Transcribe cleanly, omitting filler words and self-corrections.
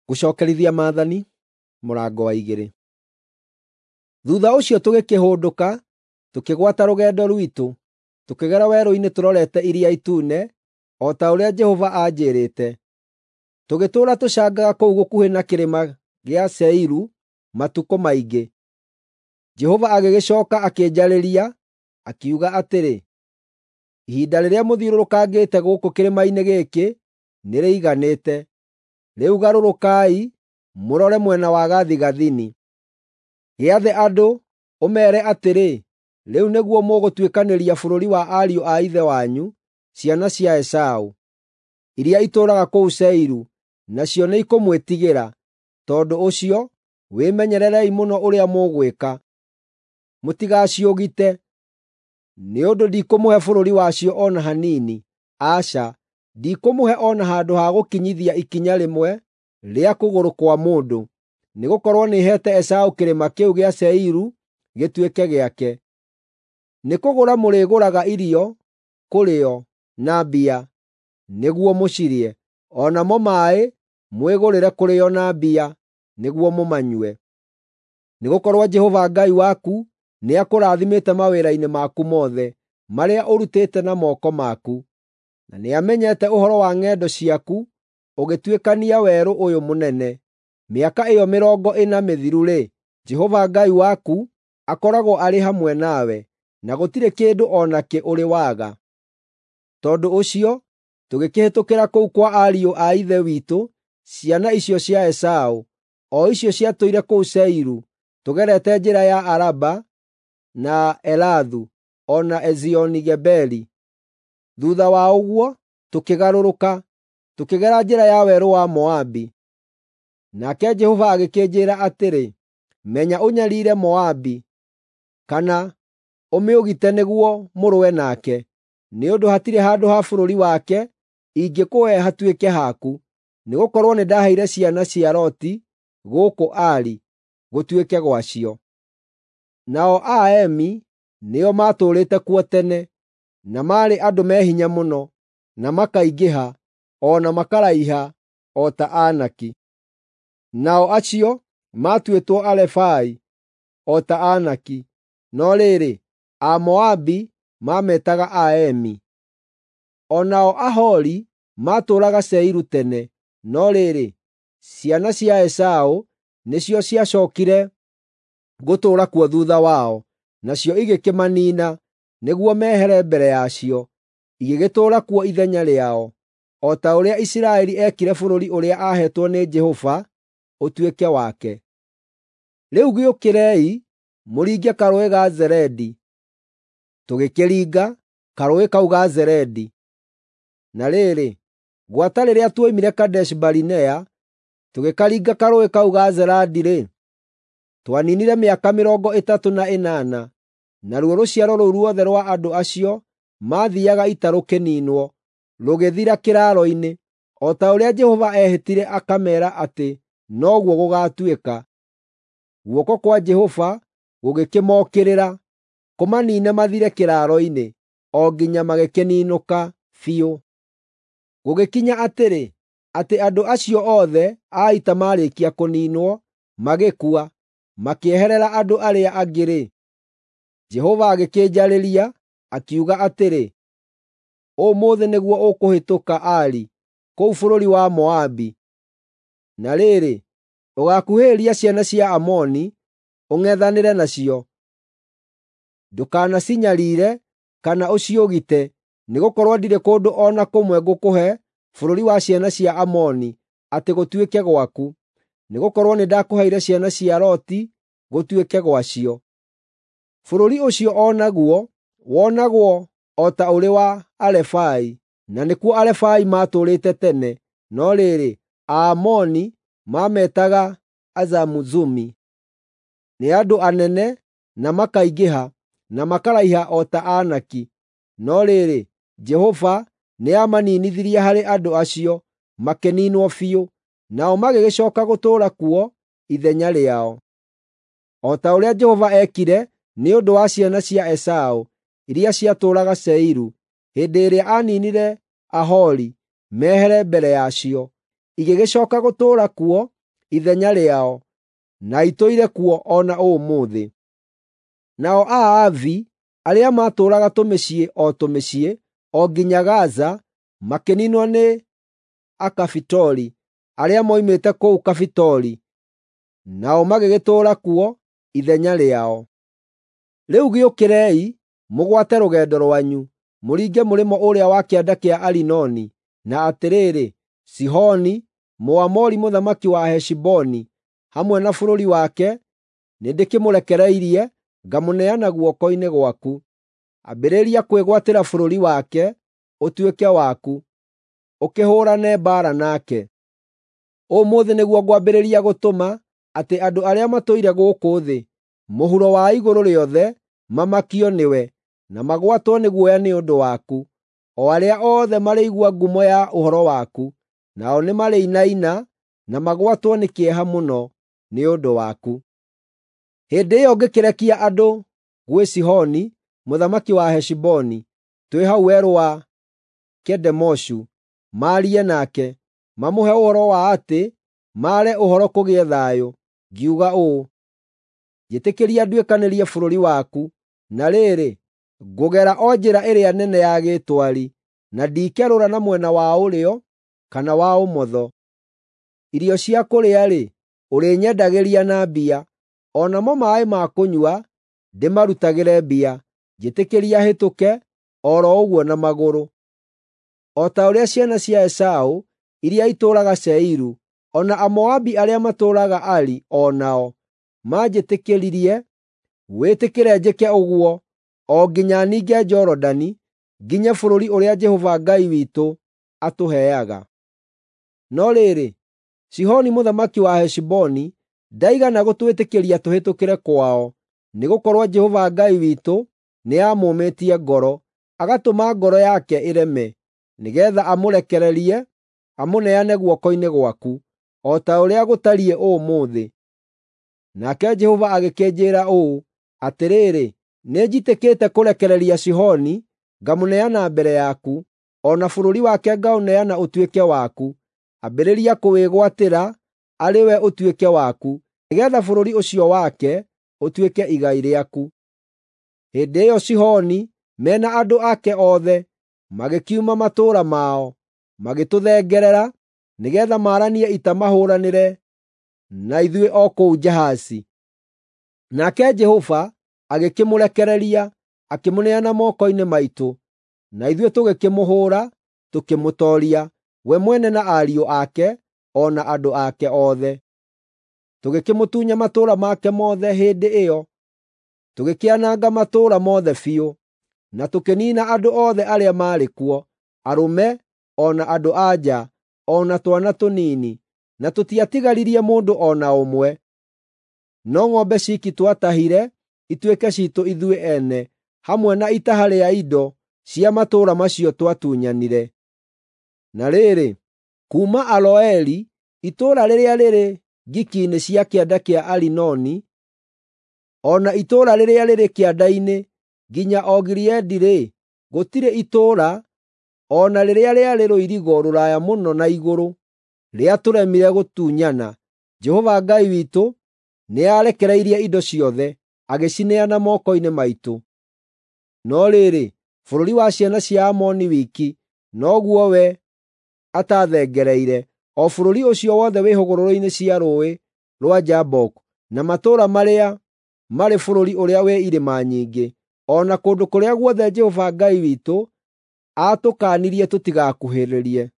Gũcokerithia Maathani mũrango wa 2. Thuutha ũcio tũgĩkĩhũndũka, tũkĩgwata rũgendo rwitũ, tũkĩgera werũ-inĩ tũrorete Iria Itune, o ta ũrĩa Jehova aanjĩĩrĩte. Tũgĩtũũra tũcangaga kũu gũkuhĩ na kĩrĩma gĩa Seiru matukũ maingĩ. Jehova agĩgĩcooka akĩnjarĩria, akiuga atĩrĩ, “Ihinda rĩrĩa mũthiũrũrũkangĩte gũkũ kĩrĩma-inĩ gĩkĩ nĩrĩiganĩte. Rĩu garũrũkai mũrore mwena wa gathigathini. Gĩathe andũ, ũmeere atĩrĩ, ‘Rĩu nĩguo mũgũtuĩkanĩria bũrũri wa ariũ a ithe wanyu, ciana cia Esaũ, iria itũũraga kũu Seiru, nacio nĩikũmwĩtigĩra. Tondũ ũcio, wĩmenyererei mũno ũrĩa mũgwĩka. Mũtigaciũgite, nĩ ũndũ ndikũmũhe bũrũri wacio o na hanini. Aca, ndikũmũhe o na handũ ha gũkinyithia ikinya rĩmwe rĩa kũgũrũ kwa mũndũ, nĩgũkorwo nĩheete Esaũ kĩrĩma kĩu gĩa Seiru gĩtuĩke gĩake. Nĩkũgũra mũrĩgũraga irio kũrĩ o na mbia nĩguo mũcirĩe, o namo maaĩ mwĩgũrĩre kũrĩ o na mbia nĩguo mũmanyue. Nĩgũkorwo Jehova Ngai waku nĩakũrathimĩte mawĩra-inĩ maku mothe marĩa ũrutĩte na moko maku, na nĩamenyete ũhoro wa ng'endo ciaku ũgĩtuĩkania werũ ũyũ mũnene. Mĩaka ĩyo 40 mĩthiru-rĩ, Jehova Ngai waku akoragwo arĩ hamwe nawe, na gũtirĩ kĩndũ o nakĩ ũrĩ waga. Tondũ ũcio tũgĩkĩhĩtũkĩra kũu kwa ariũ a ithe witũ, ciana icio cia Esaũ, o icio ciatũire kũu Seiru, tũgerete njĩra ya Araba na Elathu o na Ezioni-Geberi. Thuutha wa ũguo tũkĩgarũrũka, tũkĩgera njĩra ya werũ wa Moabi. Nake Jehova agĩkĩnjĩĩra atĩrĩ, “Menya ũnyariire Moabi, kana ũmĩũgite nĩguo mũrũe nake, nĩ ũndũ hatirĩ handũ ha bũrũri wake ingĩkũhe hatuĩke haku, nĩgũkorwo nĩndaheire ciana cia Loti gũkũ Ari gũtuĩke gwacio.” Nao Aemi nĩo maatũũrĩte kuo tene, na maarĩ andũ me hinya mũno, na makaingĩha, o na makaraiha o ta Anaki. Nao acio maatuĩtwo Arefai o ta Anaki, no rĩrĩ, Amoabi maametaga Aemi. O nao Ahori maatũũraga Seiru tene, no rĩrĩ, ciana cia Esaũ nĩcio ciacookire gũtũũra kuo thuutha wao, nacio igĩkĩmaniina nĩguo mehere mbere yacio, igĩgĩtũũra kuo ithenya rĩao, o ta ũrĩa Isiraeli eekire bũrũri ũrĩa aaheetwo nĩ Jehova ũtuĩke wake. Rĩu gĩũkĩrei mũringe Karũũĩ ga Zeredi. Tũgĩkĩringa Karũũĩ kau ga Zeredi. Na rĩrĩ, gwata rĩrĩa tuoimire Kadeshi-Barinea, tũgĩkaringa Karũũĩ kau ga Zeradi-rĩ, twaniinire mĩaka 38, naruo rũciaro rũu ruothe rwa andũ acio maathiiaga ita rũkĩniinwo, rũgĩthira kĩraaro-inĩ, o ta ũrĩa Jehova eehĩtire akameera atĩ noguo gũgaatuĩka. Guoko kwa Jehova gũgĩkĩmookĩrĩra, kũmaniine mathire kĩraaro-inĩ, o nginya magĩkĩninũka biũ. Gũgĩkinya atĩrĩ, atĩ andũ acio othe a ita maarĩkia kũniinwo, magĩkua, makĩeherera andũ arĩa angĩ-rĩ, Jehova agĩkĩnjarĩria, akiuga atĩrĩ, “Ũmũthĩ nĩguo ũkũhĩtũka Ari, kũu bũrũri wa Moabi. Na rĩrĩ, ũgaakuhĩrĩria ciana cia Amoni, ũng'ethanĩre nacio. Ndũkanacinyariire kana ũciũgite, nĩgũkorwo ndirĩ kũndũ o na kũmwe ngũkũhe bũrũri wa ciana cia Amoni atĩ gũtuĩke gwaku, nĩgũkorwo nĩndakũheire ciana cia Loti gũtuĩke gwacio. Bũrũri ũcio o naguo wonagwo o ta ũrĩ wa Arefai, na nĩkuo Arefai maatũũrĩte tene, no rĩrĩ, Aamoni maametaga Azamuzumi. Nĩ andũ anene, na makaingĩha, na makaraiha o ta Anaki. No rĩrĩ, Jehova nĩamaninithirie harĩ andũ acio, makĩniinwo biũ, nao magĩgĩcooka gũtũũra kuo ithenya rĩao. O ta ũrĩa Jehova eekire nĩ ũndũ wa ciana cia Esaũ iria ciatũũraga Seiru, hĩndĩ ĩrĩa aaniinire Ahori mehere mbere yacio, igĩgĩcooka gũtũũra kuo. ithenya rĩao, na itũire kuo o na ũmũthĩ. Nao Aavi arĩa maatũũraga tũmĩciĩ o tũmĩciĩ, o nginya Gaza, makĩniinwo nĩ Akafitori arĩa moimĩte kũu Kafitori, nao magĩgĩtũũra kuo ithenya rĩao. Rĩu gĩũkĩrei, mũgwate rũgendo rwanyu, mũringe mũrĩmo ũrĩa wa kĩanda kĩa Arinoni, na atĩrĩrĩ, Sihoni, Mũamori mũthamaki wa Heshiboni, hamwe na bũrũri wake, nĩndĩkĩmũrekereirie ngamũneana guoko-inĩ gwaku. Ambĩrĩria kwĩgwatĩra bũrũri wake ũtuĩke waku, ũkĩhũũrane mbaara nake. Ũmũthĩ nĩguo ngwambĩrĩria gũtũma atĩ andũ arĩa matũire gũkũ thĩ, mũhuro wa igũrũ rĩothe, mamakio nĩwe, na magwatwo nĩ guoya nĩ ũndũ waku, o arĩa othe marĩigua ngumo ya ũhoro waku, nao nĩmarĩinaina na magwatwo nĩ kĩeha mũno nĩ ũndũ waku. Hĩndĩ ĩyo ngĩkĩrekia andũ gwĩ Sihoni mũthamaki wa Heshiboni, twĩ hau werũ wa Kedemoshu, maarie nake, mamũhe ũhoro wa atĩ maare ũhoro kũgĩe thayũ, ngiuga ũũ, “Njĩtĩkĩria nduĩkanĩrie bũrũri waku, na rĩrĩ, ngũgera o njĩra ĩrĩa nene ya gĩtwari, na ndikerũra na mwena wa ũrĩo kana wa ũmotho. Irio cia kũrĩa-rĩ, ũrĩnyendagĩria na mbia, o namo maaĩ ma kũnyua ndĩmarutagĩre mbia. Njĩtĩkĩria hĩtũke o ro ũguo na magũrũ.” O ta ũrĩa ciana cia Esaũ iria itũũraga Seiru, o na Amoabi arĩa matũũraga Ari o nao maanjĩtĩkĩririe, wĩtĩkĩre njĩke ũguo o nginya ninge Jorodani, nginye bũrũri ũrĩa Jehova Ngai witũ atũheaga. No rĩrĩ, Sihoni mũthamaki wa Heshiboni ndaigana gũtwĩtĩkĩria tũhĩtũkĩre kwao, nĩgũkorwo Jehova Ngai witũ nĩamũmĩtie ngoro, agatũma ngoro yake ĩreme, nĩgeetha amũrekererie amũneane guoko-inĩ gwaku, o ta ũrĩa gũtariĩ ũmũthĩ. Nake Jehova agĩkĩnjĩĩra ũũ, “Atĩrĩrĩ, nĩnjitĩkĩte kũrekereria Sihoni ngamũneana mbere yaku, o na bũrũri wake ngaũneana ũtuĩke waku. Ambĩrĩria kũwĩgwatĩra arĩ we ũtuĩke waku, nĩgeetha bũrũri ũcio wake ũtuĩke igai rĩaku.” Hĩndĩ ĩyo Sihoni me na andũ ake othe magĩkiuma matũũra mao, magĩtũthengerera nĩgeetha maaranie ita mahũũranĩre na ithuĩ o kũu Jahazi. Nake Jehova agĩkĩmũrekereria, akĩmũneana moko-inĩ maitũ, na ithuĩ tũgĩkĩmũhũũra, tũkĩmũtooria, we mwene na ariũ ake, o na andũ ake othe. Tũgĩkĩmũtunya matũũra make mothe hĩndĩ ĩyo, tũgĩkĩananga matũũra mothe biũ, na tũkĩniina andũ othe arĩa maarĩ kuo, arũme, o na andũ-a-nja, o na twana tũnini, na tũtiatigaririe mũndũ o na ũmwe. No ng'ombe ciiki twatahire ituĩke ciitũ ithuĩ ene, hamwe na itaha rĩa indo cia matũũra macio twatunyanire. Na rĩrĩ, kuuma Aroeri, itũũra rĩrĩa rĩrĩ ngiki-inĩ cia kĩanda kĩa Arinoni, o na itũũra rĩrĩa rĩrĩ kĩanda-inĩ, nginya o Gileadi-rĩ, gũtirĩ itũũra o na rĩrĩa rĩarĩ rũirigo rũraya mũno na igũrũ rĩatũremire gũtunyana. Jehova Ngai witũ nĩarekereirie indo ciothe, agĩcineana moko-inĩ maitũ. No rĩrĩ, bũrũri wa ciana cia Amoni wiki noguo we ataathengereire, o bũrũri ũcio wothe wĩ hũgũrũrũ-inĩ cia Rũũĩ rwa Jaboku, na matũũra marĩa marĩ bũrũri ũrĩa wĩ irĩma nyingĩ, o na kũndũ kũrĩa guothe Jehova Ngai witũ aatũkaanirie tũtigakuhĩrĩrie.